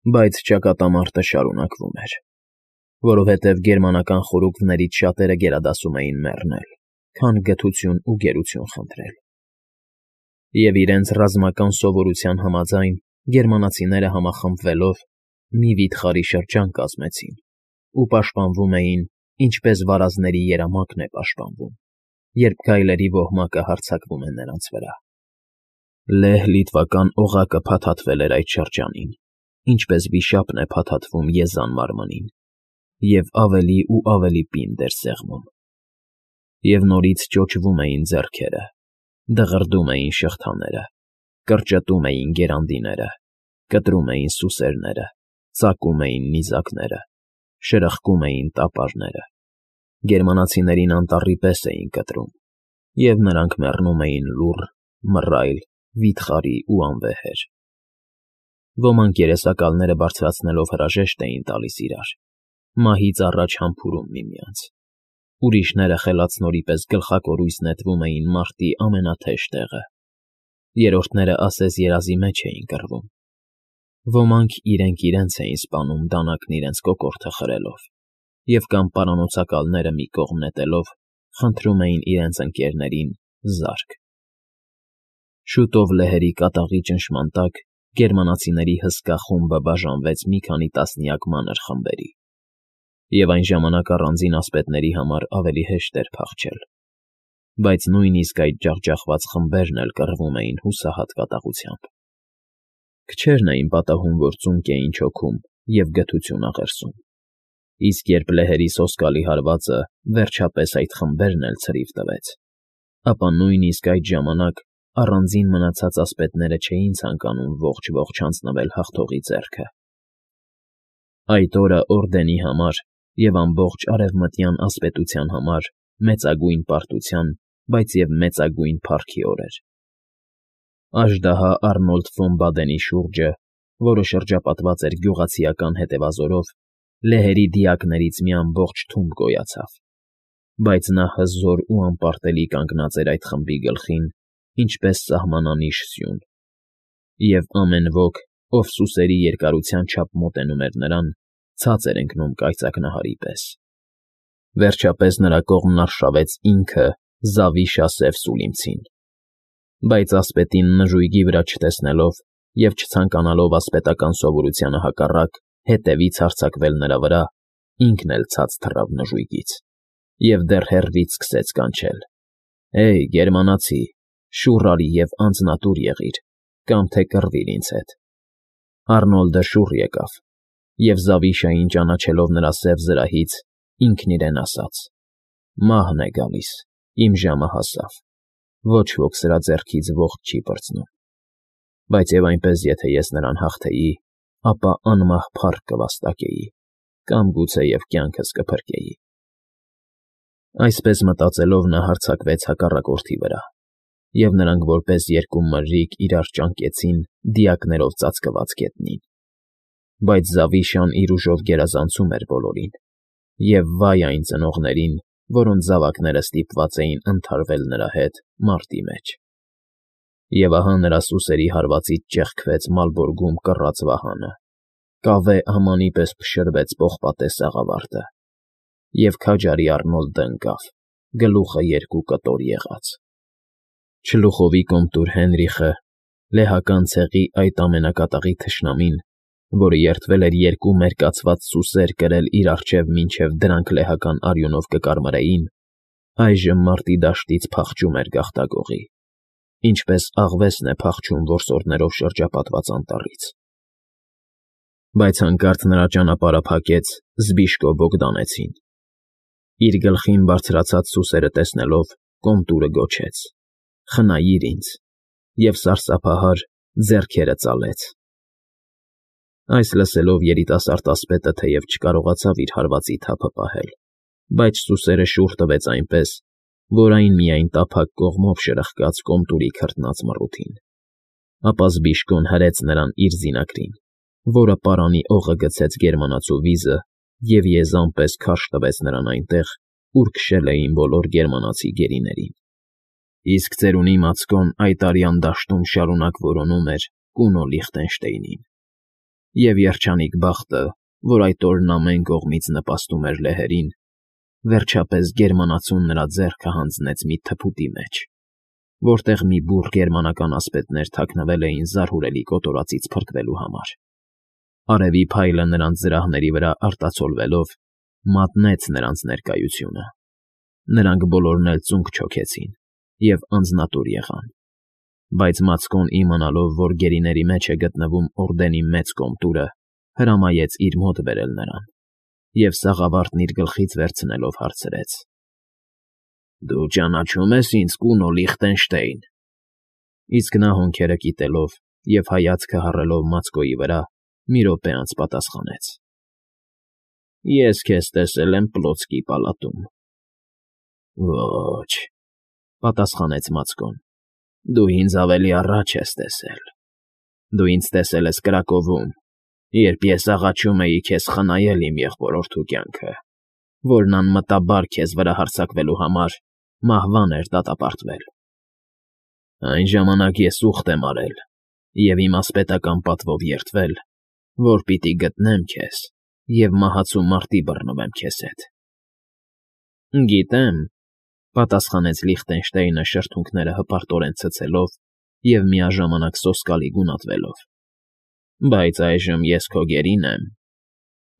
Բայց ճակատամարտը շարունակվում էր, որովհետև գերմանական խորուկներից շատերը գերադասում էին մեռնել, քան գթություն ու գերություն խնդրել։ Եվ իրենց ռազմական սովորության համաձայն գերմանացիները համախմբվելով մի վիթխարի շրջան կազմեցին ու պաշտպանվում էին, ինչպես վարազների երամակն է պաշտպանվում, երբ գայլերի ոհմակը հարձակվում է նրանց վրա։ Լեհ֊լիտվական օղակը փաթաթվել էր այդ շրջանին, ինչպես վիշապն է փաթաթվում եզան մարմնին, և ավելի ու ավելի պինդ էր սեղմում։ Եվ նորից ճոճվում էին ձեռքերը, դղրդում էին շղթաները, կրճտում էին գերանդիները, կտրում էին սուսերները, ծակում էին նիզակները, շրխկում էին տապարները, գերմանացիներին անտառի պես էին կտրում, և նրանք մեռնում էին լուռ, մռայլ, վիթխարի ու անվեհեր։ Ոմանք երեսակալները բարձրացնելով հրաժեշտ էին տալիս իրար, մահից առաջ համբուրում միմյանց։ Ուրիշները խելացնորի պես գլխակորույս նետվում էին մարտի ամենաթեժ տեղը, երրորդները ասես երազի մեջ էին կռվում։ Ոմանք իրենք էին սպանում դանակն իրենց կոկորդը խրելով, և կամ պարանոցակալները մի կողմ նետելով խնդրում էին իրենց ընկերներին զարկ։ Շուտով լեհերի կատաղի ճնշման տակ գերմանացիների հսկա խումբը բաժանվեց մի քանի տասնյակ մանր խմբերի, և այն ժամանակ առանձին ասպետների համար ավելի հեշտ էր փախչել, բայց նույնիսկ այդ ջախջախված խմբերն էլ կռվում էին հուսահատ կատաղությամբ։ Քչերն էին պատահում, որ ծունկ էին չոքում և գթություն աղերսում, իսկ երբ լեհերի սոսկալի հարվածը վերջապես այդ խմբերն էլ ցրիվ տվեց, ապա նույնիսկ այդ ժամանակ առանձին մնացած ասպետները չէին ցանկանում ողջ հանձնվել հաղթողի ձեռքը։ Այդ օրը օրդենի համար և ամբողջ արևմտյան ասպետության համար մեծագույն պարտության, բայց և մեծագույն փառքի օր էր։ Աժդահա Արնոլդ ֆոն Բադենի շուրջը, որը շրջապատված էր գյուղացիական հետևազորով, լեհերի դիակներից մի ամբողջ թումբ գոյացավ, բայց նա հզոր ու անպարտելի կանգնած էր այդ խմբի գլխին, ինչպես սահմանանիշ սյուն, և ամեն ոք, ով սուսերի երկարության չափ մոտենում էր նրան, ցած էր ընկնում կայծակնահարի պես։ Վերջապես նրա կողմն արշավեց ինքը Զավիշա Սև Սուլիմցին, բայց ասպետին նժույգի վրա չտեսնելով և չցանկանալով ասպետական սովորությանը հակառակ հետևից հարձակվել նրա վրա, ինքն էլ ցած թռավ նժույգից և դեռ հեռվից սկսեց կանչել. «Հեյ, գերմանացի, շուռ արի և անձնատուր եղիր, կամ թե կռվիր ինձ հետ»։ Արնոլդը շուռ եկավ, և Զավիշային ճանաչելով նրա սև զրահից, ինքն իրեն ասաց. «Մահն է գալիս, իմ ժամը հասավ, ոչ ոք սրա ձեռքից ողջ չի պրծնում, բայց և այնպես եթե ես նրան հաղթեի, ապա անմահ փառք կվաստակեի, կամ գուցեև կյանքս կփրկեի»։ Այսպես մտածելով նա հարձակվեց հակառակորդի վրա, և նրանք որպես երկու մրրիկ իրար ճանկեցին դիակներով ծածկված գետնին։ Բայց Զավիշան իր ուժով գերազանցում էր բոլորին, և վայ այն ծնողներին, որոնց զավակները ստիպված էին ընդհարվել նրա հետ մարտի մեջ։ Եվ ահա նրա սուսերի հարվածից ճեղքվեց մալբորգում կռած վահանը, կավե ամանի պես փշրվեց պողպատե սաղավարտը, և քաջարի Արնոլդը ընկավ, գլուխը երկու կտոր եղած։ Չլուխովի կոմտուր Հենրիխը, լեհական ցեղի այդ ամենակատաղի թշնամին, որը երդվել էր երկու մերկացված սուսեր կրել իր առջև մինչև դրանք լեհական արյունով կկարմրեին, այժմ մարտի դաշտից փախչում էր գաղտագողի, ինչպես աղվեսն է փախչում որսորդներով շրջապատված անտառից։ Բայց հանկարծ նրա ճանապարհը փակեց Զբիշկո Բոգդանեցին։ Իր գլխին բարձրացած սուսերը տեսնելով, կոմտուրը գոչեց. «Խնայիր ինձ», և սարսափահար ձեռքերը ծալեց։ Այս լսելով երիտասարդ ասպետը թեև չկարողացավ իր հարվածի թափը պահել, բայց սուսերը շուռ տվեց այնպես, որ այն միայն տափակ կողմով շրխկաց կոմտուրի քրտնած մռութին։ Ապա Զբիշկոն հրեց նրան իր զինակրին, որը պարանի օղը գցեց գերմանացու վիզը և եզան պես քարշ տվեց նրան այնտեղ, ուր քշել էին բոլոր գերմանացի գերիներին։ Իսկ ծերունի Մացկոն այդ արյան դաշտում շարունակ որոնում էր Կունո Լիխտենշտեյնին։ Եվ երջանիկ բախտը, որ այդ օրն ամեն կողմից նպաստում էր լեհերին, վերջապես գերմանացուն նրա ձեռքը հանձնեց մի թփուտի մեջ, որտեղ մի բուռ գերմանական ասպետներ թաքնվել էին զարհուրելի կոտորածից փրկվելու համար։ Արևի փայլը նրանց զրահների վրա արտացոլվելով, մատնեց նրանց ներկայությունը։ Նրանք բոլորն էլ ծունկ չոքեցին և անձնատուր եղան։ Բայց Մացկոն իմանալով, որ գերիների մեջ է գտնվում օրդենի մեծ կոմտուրը, հրամայեց իր մոտ բերել նրան և սաղավարտն իր գլխից վերցնելով հարցրեց. «Դու ճանաչում ես ինձ, կունո Լիխտենշտեյն»։ Իսկ նա հոնքերը կիտելով և հայացքը հառելով Մացկոյի վրա, մի րոպե անց պատասխանեց. «Ես քեզ տեսել եմ Պլոտսկի պալատում»։ «Ոչ», պատասխանեց Մացկոն, «դու ինձ ավելի առաջ ես տեսել։ Դու ինձ տեսել ես Կրակովում, երբ ես աղաչում էի քեզ խնայել իմ եղբորորդու կյանքը, որն անմտաբար քեզ վրա հարձակվելու համար մահվան էր դատապարտվել։ Այն ժամանակ ես ուխտ եմ արել և իմ ասպետական պատվով երդվել, որ պիտի գտնեմ քեզ և մահացու մարտի բռնվեմ քեզ հետ»։ «Գիտեմ», պատասխանեց Լիխտենշտեյնը շրթունքները հպարտորեն ցցելով և միաժամանակ սոսկալի գունատվելով, «բայց այժմ ես քո գերին եմ,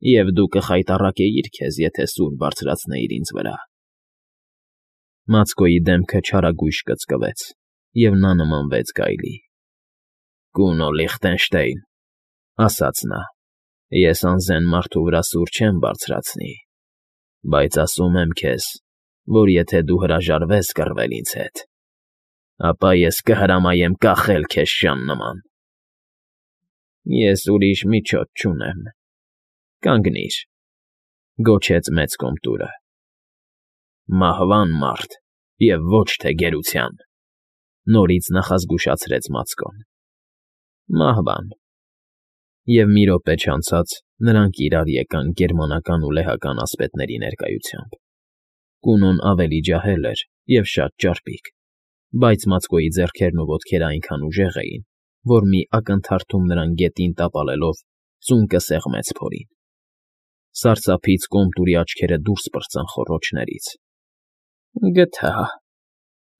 և դու կխայտառակեիր քեզ, եթե սուր բարձրացնեիր ինձ վրա»։ Մացկոյի դեմքը չարագույժ կծկվեց, և նա նմանվեց գայլի։ «Կունո Լիխտենշտեյն», ասաց նա, «ես անզեն մարդու վրա սուր չեմ բարձրացնի, բայց ասում եմ քեզ, որ եթե դու հրաժարվես կռվել ինձ հետ, ապա ես կհրամայեմ կախել քեզ շան նման»։ «Ես ուրիշ միջոց չունեմ, կանգնիր», գոչեց մեծ կոմտուրը։ «Մահվան մարդ և ոչ թե գերության», նորից նախազգուշացրեց Մացկոն։ «Մահվան»։ Եվ մի րոպե չանցած նրանք իրար եկան գերմանական ու լեհական ասպետների ներկայությամբ։ Կունոն ավելի ջահել էր և շատ ճարպիկ, բայց Մացկոյի ձեռքերն ու ոտքերը այնքան ուժեղ էին, որ մի ակնթարթում նրան գետին տապալելով ծունկը սեղմեց փորին։ Սարսափից կոմտուրի աչքերը դուրս պրծան խոռոչներից։ «Գտա»,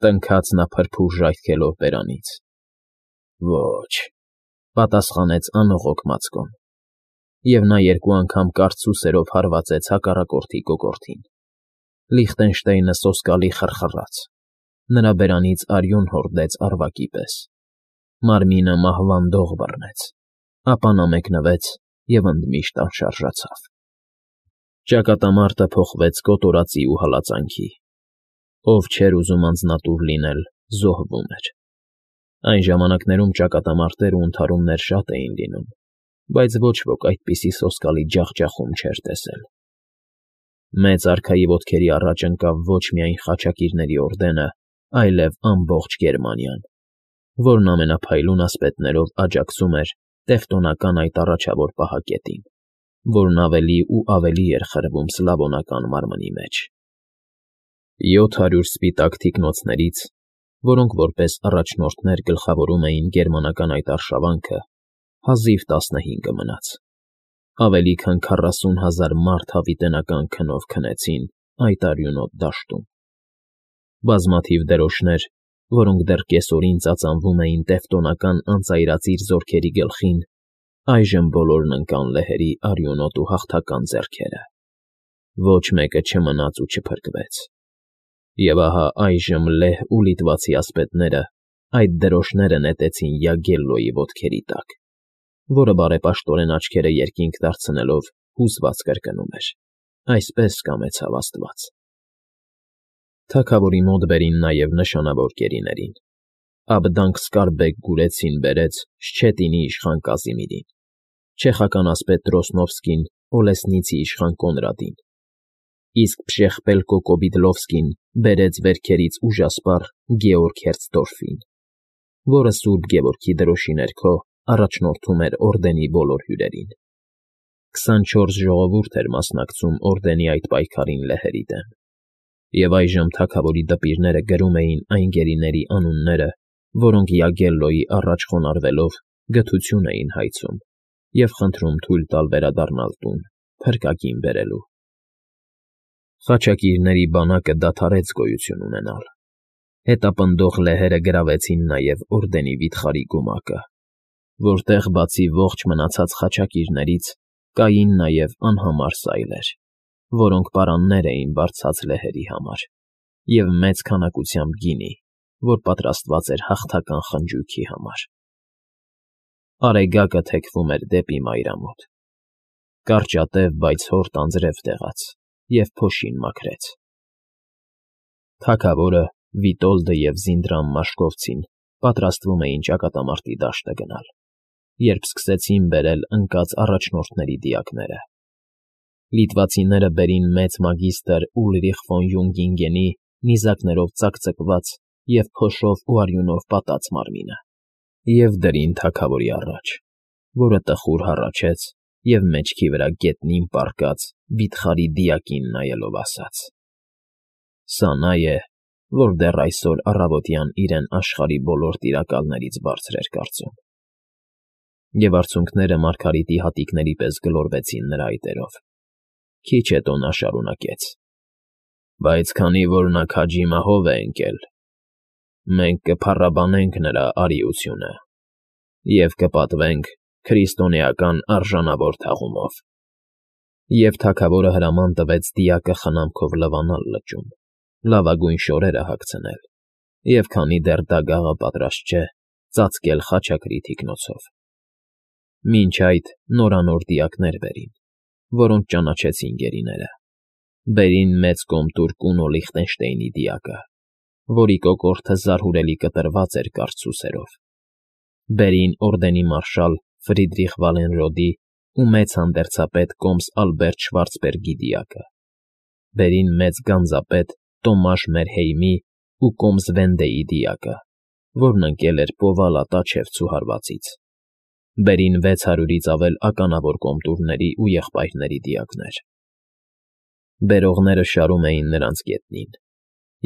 տնքաց նա փրփուր ժայթքելով բերանից։ «Ոչ», պատասխանեց անողոք Մացկոն, և նա երկու անգամ կարճ սուսերով հարվածեց հակառակորդի կոկորդին։ Լիխտենշտեյնը սոսկալի խռխռաց, նրա բերանից արյուն հորդեց առվակի պես։ Մարմինը մահվան դող բռնեց, ապա նա մեկնվեց և ընդմիշտ անշարժացավ։ Ճակատամարտը փոխվեց կոտորածի ու հալածանքի։ Ով չէր ուզում անձնատուր լինել, զոհվում էր։ Այն ժամանակներում ճակատամարտեր ու ընդհարումներ շատ էին լինում, բայց ոչ ոք այդպիսի սոսկալի ջախջախում չէր տեսել։ Մեծ արքայի ոտքերի առաջ ընկավ ոչ միայն խաչակիրների օրդենը, այլև ամբողջ Գերմանիան, որն ամենափայլուն ասպետներով աջակցում էր տևտոնական այդ առաջավոր պահակետին, որն ավելի ու ավելի էր խրվում սլավոնական մարմնի մեջ։ 700 սպիտակ թիկնոցներից, որոնք որպես առաջնորդներ գլխավորում էին գերմանական այդ արշավանքը, հազիվ 15 մնաց։ Ավելի քան 40,000 մարդ հավիտենական քնով քնեցին այդ արյունոտ դաշտում։ Բազմաթիվ դրոշներ, որոնք դեռ կեսօրին ծածանվում էին տևտոնական անծայրածիր զորքերի գլխին, այժմ բոլորն ընկան լեհերի արյունոտ ու հաղթական ձեռքերը։ Ոչ մեկը չմնաց ու չփրկվեց։ Եվ ահա այժմ լեհ ու լիտվացի ասպետները այդ դրոշները նետեցին Յագելլոյի ոտքերի տակ, որը բարեպաշտորեն աչքերը երկինք դարձնելով հուզված կրկնում էր. «Այսպես կամեցավ Աստված»։ Թագավորի մոտ բերին նաև նշանավոր գերիներին։ Աբդանք Սկարբեկ գուրեցին բերեց Շչետինի իշխան Կազիմիրին, չեխական ասպետ Դրոսնովսկին Օլեսնիցի իշխան Կոնրադին, իսկ Փշեխպելկո Կոբիդլովսկին բերեց վերքերից ուժասպառ Գեորգ Հերցդորֆին, որը Սուրբ Գևորգի դրոշի ներքո առաջնորդում էր օրդենի բոլոր հյուրերին։ 24 ժողովուրդ էր մասնակցում օրդենի այդ պայքարին լեհերի դեմ, և այժմ թագավորի դպիրները գրում էին այն գերիների անունները, որոնք Յագելլոյի առաջ խոնարհվելով գթություն էին հայցում և խնդրում թույլ տալ վերադառնալ տուն, փրկագին բերելու։ Խաչակիրների բանակը դադարեց գոյություն ունենալ։ Հետապնդող լեհերը գրավեցին նաև օրդենի վիթխարի գումակը, որտեղ բացի ողջ մնացած խաչակիրներից կային նաև անհամար սայլեր, որոնք պարաններ էին բարձած լեհերի համար, և մեծ քանակությամբ գինի, որ պատրաստված էր հաղթական խնջույքի համար։ Արեգակը թեքվում էր դեպի մայրամուտ։ Կարճատև, բայց հորտ անձրև տեղաց և փոշին մաքրեց։ Թագավորը, Վիտոլդը և Զինդրամ Մաշկովցին պատրաստվում էին ճակատամարտի դաշտը գնալ, երբ սկսեցին բերել ընկած առաջնորդների դիակները։ Լիտվացիները բերին մեծ մագիստր Ուլրիխ ֆոն Յունգինգենի նիզակներով ծակծկված և փոշով ու արյունով պատած մարմինը և դրին թագավորի առաջ, որը տխուր հառաչեց և մեջքի վրա գետնին պառկած վիթխարի դիակին նայելով ասաց. «Սա նա է, որ դեռ այսօր առավոտյան իրեն աշխարհի բոլոր տիրակալներից բարձր էր կարծում»։ Եվ արցունքները Մարգարիտի հատիկների պես գլորվեցին նրա այտերով։ Քիչ հետո նա շարունակեց. «Բայց քանի որ նա քաջի մահով է ընկել, մենք կփառաբանենք նրա արիությունը և կպատվենք քրիստոնեական արժանավոր թաղումով»։ Եվ թագավորը հրաման տվեց դիակը խնամքով լվանալ լճում, լավագույն շորերը հագցնել և, քանի դեռ դագաղը պատրաստ չէ, ծածկել խաչակրի թիկնոցով։ Մինչ այդ նորանոր դիակներ բերին, որոնք ճանաչեցին գերիները։ Բերին մեծ կոմտուր Կունո Լիխտենշտեյնի դիակը, որի կոկորդը զարհուրելի կտրված էր կարճ սուսերով։ Բերին օրդենի մարշալ Ֆրիդրիխ Վալենրոդի ու մեծ հանդերձապետ կոմս Ալբերտ Շվարցբերգի դիակը։ Բերին մեծ գանձապետ Տոմաշ Մերհեյմի ու կոմս Վենդեի դիակը, որն ընկել էր Պովալա-Տաչևցու հարվածից։ Բերին 600-ից ավել ականավոր կոմտուրների ու եղբայրների դիակներ։ Բերողները շարում էին նրանց գետնին,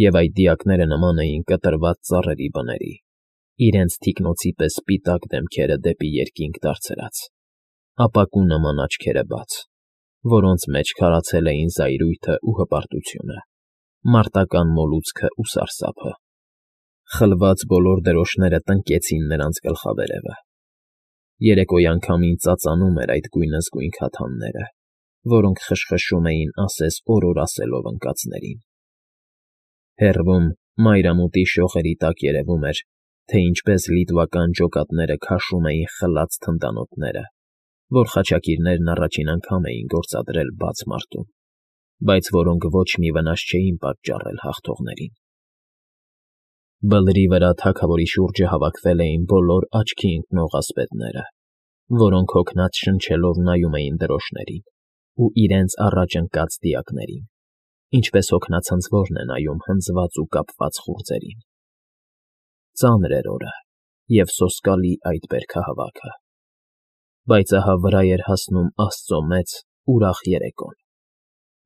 և այդ դիակները նման էին կտրված ծառերի բների, իրենց թիկնոցի պես սպիտակ դեմքերը դեպի երկինք դարձրած, ապակու նման աչքերը բաց, որոնց մեջ քարացել էին զայրույթը ու հպարտությունը, մարտական մոլուցքը ու սարսափը։ Խլված բոլոր դրոշները տնկեցին նրանց գլխավերևը։ Երեկոյան քամին ծածանում էր այդ գույնզգույն քաթանները, որոնք խշխշում էին ասես օրոր ասելով ընկածներին։ Հեռվում, մայրամուտի շողերի տակ երևում էր, թե ինչպես լիտվական ջոկատները քաշում էին խլած թնդանոթները, որ խաչակիրներն առաջին անգամ էին գործադրել բաց մարտում, բայց որոնք ոչ մի վնաս չէին պատճառել հաղթողներին։ Բլրի վրա թագավորի շուրջը հավաքվել էին բոլոր աչքի ընկնող ասպետները, որոնք հոգնած շնչելով նայում էին դրոշներին ու իրենց առաջ ընկած դիակներին, ինչպես հոգնածնցորն է նայում հնձված ու կապված խուրձերին։ Ծանր էր օրը և սոսկալի այդ բերքահավաքը, բայց ահա վրա էր հասնում Աստծո մեծ, ուրախ երեկոն,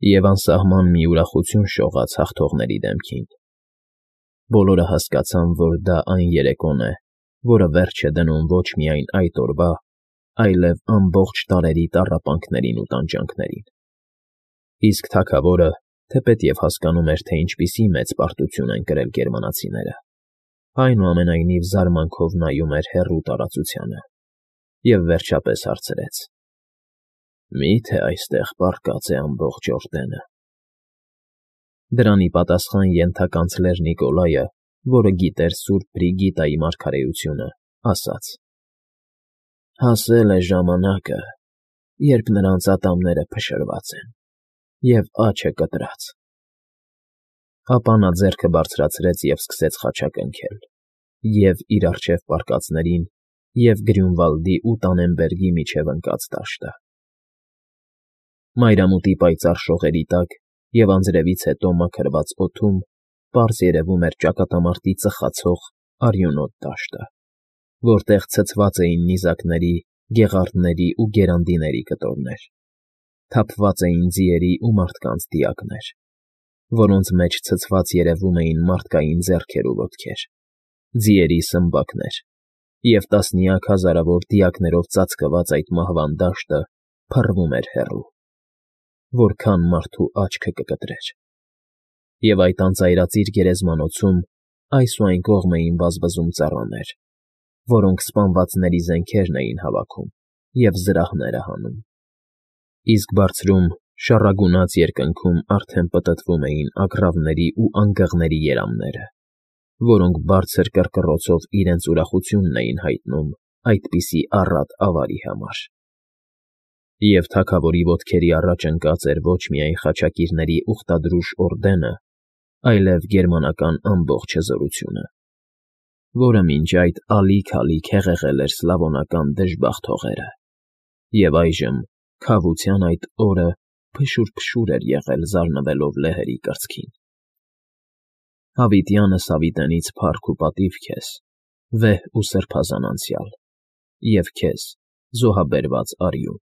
և անսահման մի ուրախություն շողաց հաղթողների դեմքին։ Բոլորը հասկացան, որ դա այն երեկոն է, որը վերջ է դնում ոչ միայն այդ օրվա, այլև ամբողջ տարերի տառապանքներին ու տանջանքներին։ Իսկ թագավորը, թեպետև հասկանում էր, թե ինչպիսի մեծ պարտություն են կրել գերմանացիները, այնուամենայնիվ զարմանքով նայում էր հեռու տարածությանը և վերջապես հարցրեց. «Մի՞թե այստեղ պառկած է ամբողջ օրդենը»։ Դրան ի պատասխան ենթականցլեր Նիկոլայը, որը գիտեր սուրբ Բրիգիտայի մարգարեությունը, ասաց. «Հասել է ժամանակը, երբ նրանց ատամները փշրված են և աջը կտրած»։ Ապա նա ձեռքը բարձրացրեց և սկսեց խաչակնքել և՛ իր առջև պառկածներին, և՛ Գրյունվալդի ու Տանենբերգի միջև ընկած դաշտը։ Մայրամուտի պայծառ շողերի տակ և անձրևից հետո մաքրված օդում պարզ երևում էր ճակատամարտի ծխացող, արյունոտ դաշտը, որտեղ ցցված էին նիզակների, գեղարդների ու գերանդիների կտորներ, թափված էին ձիերի ու մարդկանց դիակներ, որոնց մեջ ցցված երևում էին մարդկային ձեռքեր ու ոտքեր, ձիերի սմբակներ Եվ տասնյակ հազարավոր դիակներով ծածկված այդ մահվան դաշտը փռվում էր հեռու, որքան մարդու աչքը կկտրեր։ Եվ այդ անծայրածիր գերեզմանոցում այս ու այն կողմ էին վազվզում ծառաներ, որոնք սպանվածների զենքերն էին հավաքում և զրահները հանում, իսկ բարձրում շառագունած երկնքում արդեն պտտվում էին ագռավների ու անգղների երամները, որոնք բարձր կռկռոցով իրենց ուրախությունն էին հայտնում այդպիսի առատ ավարի համար։ Եվ թագավորի ոտքերի առաջ ընկած էր ոչ միայն խաչակիրների ուխտադրուժ օրդենը, այլև գերմանական ամբողջ հզորությունը, որը մինչ այդ ալիք-ալիք հեղեղել էր սլավոնական դժբախտ հողերը, և այժմ քավության այդ օրը փշուր֊փշուր էր եղել զարնվելով լեհերի կրծքին։ Հավիտյանս հավիտենից փառք ու պատիվ քեզ, վեհ ու սրբազան անցյալ, և քեզ, զոհաբերված արյուն։